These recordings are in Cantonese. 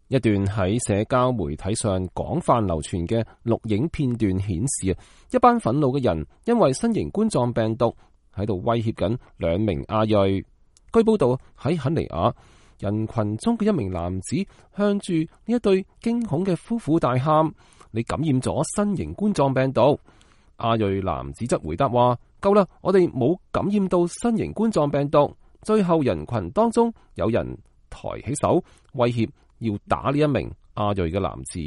一段喺社交媒體上廣泛流傳嘅錄影片段顯示，一班憤怒嘅人因為新型冠狀病毒喺度威脅緊兩名亞裔。據報道喺肯尼亞，人群中嘅一名男子向住呢一對驚恐嘅夫婦大喊：你感染咗新型冠狀病毒。亞裔男子則回答話：夠啦，我哋冇感染到新型冠狀病毒。最後人群當中有人抬起手威脅要打呢一名亞裔嘅男子。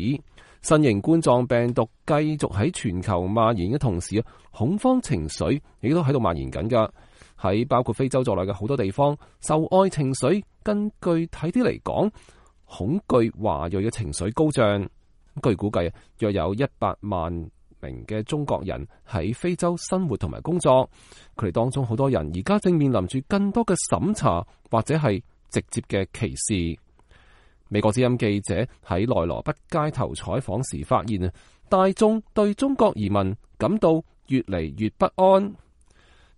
新型冠狀病毒繼續喺全球蔓延嘅同時，恐慌情緒亦都喺度蔓延緊噶。喺包括非洲在內嘅好多地方，受愛情緒更具體啲嚟講，恐懼華裔嘅情緒高漲。據估計，約有100萬名嘅中國人喺非洲生活同埋工作，佢哋當中好多人而家正面臨住更多嘅審查或者係直接嘅歧視。美國之音記者喺內羅畢街頭採訪時發現，大眾對中國移民感到越嚟越不安。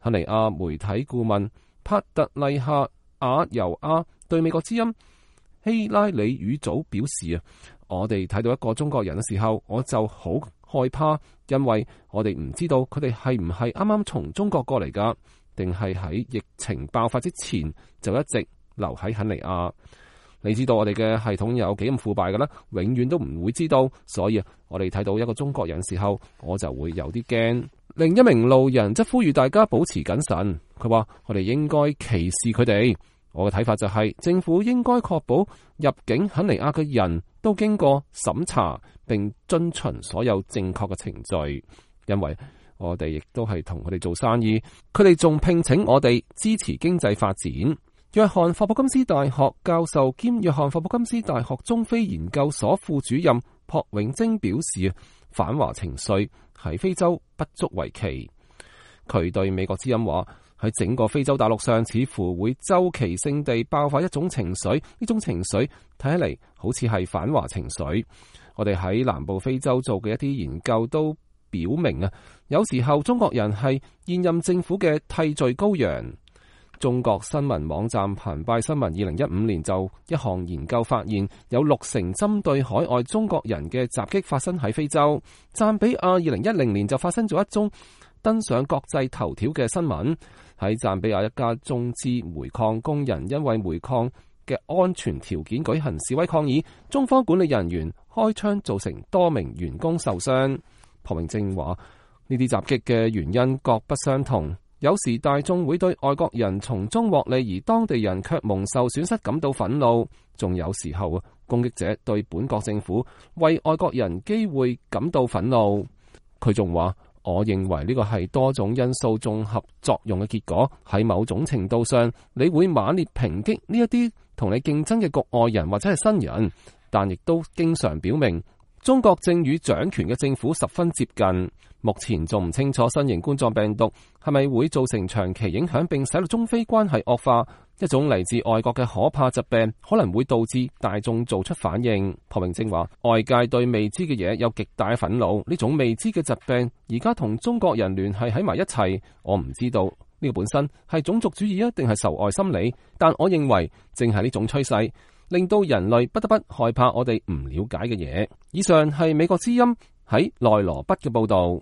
肯尼亞媒體顧問帕特麗夏亞尤亞對美國之音希拉里語組表示，我哋睇到一個中國人嘅時候，我就好害怕，因為我哋唔知道佢哋係唔係啱啱從中國過嚟噶，定係喺疫情爆發之前就一直留喺肯尼亞。你知道我哋嘅系統有幾咁腐敗嘅啦，永遠都唔會知道，所以我哋睇到一個中國人時候，我就會有啲驚。另一名路人則呼籲大家保持謹慎，佢話我哋應該歧視佢哋。我嘅睇法就係，政府應該確保入境肯尼亞嘅人都經過審查，並遵循所有正確嘅程序，因為我哋亦都係同佢哋做生意，佢哋仲聘請我哋支持經濟發展。約翰霍普金斯大學教授兼約翰霍普金斯大學中非研究所副主任朴永貞表示，反華情緒喺非洲不足為奇。佢對美國之音話，喺整個非洲大陸上似乎會周期性地爆發一種情緒，呢種情緒睇起嚟好似係反華情緒。我哋喺南部非洲做嘅一啲研究都表明啊，有時候中國人係現任政府嘅替罪羔羊。中國新聞網站澎湃新聞2015年就一項研究發現，有60%針對海外中國人嘅襲擊發生喺非洲。贊比亞2010年就發生咗一宗登上國際頭條嘅新聞，喺贊比亞一家中資煤礦工人因為煤礦嘅安全條件舉行示威抗議，中方管理人員開槍造成多名員工受傷。朴永貞話，呢啲襲擊嘅原因各不相同。有時大眾會對外國人從中獲利，而當地人卻蒙受損失感到憤怒。仲有時候，攻擊者對本國政府為外國人機會感到憤怒。佢仲話，我認為呢個係多種因素綜合作用嘅結果。喺某種程度上，你會猛烈抨擊呢一啲同你競爭嘅局外人或者係新人，但亦都經常表明中國正與掌權嘅政府十分接近。目前仲唔清楚新型冠狀病毒係咪會造成長期影響並使到中非關係惡化。一種嚟自外國嘅可怕疾病可能會導致大眾做出反應。朴永貞話，外界對未知嘅嘢有極大嘅憤怒，呢種未知嘅疾病而家同中國人聯繫喺埋一齊。我唔知道呢個本身係種族主義啊，定係仇外心理，但我認為正係呢種趨勢令到人類不得不害怕我哋唔了解嘅嘢。以上係美國之音喺內羅畢嘅報道。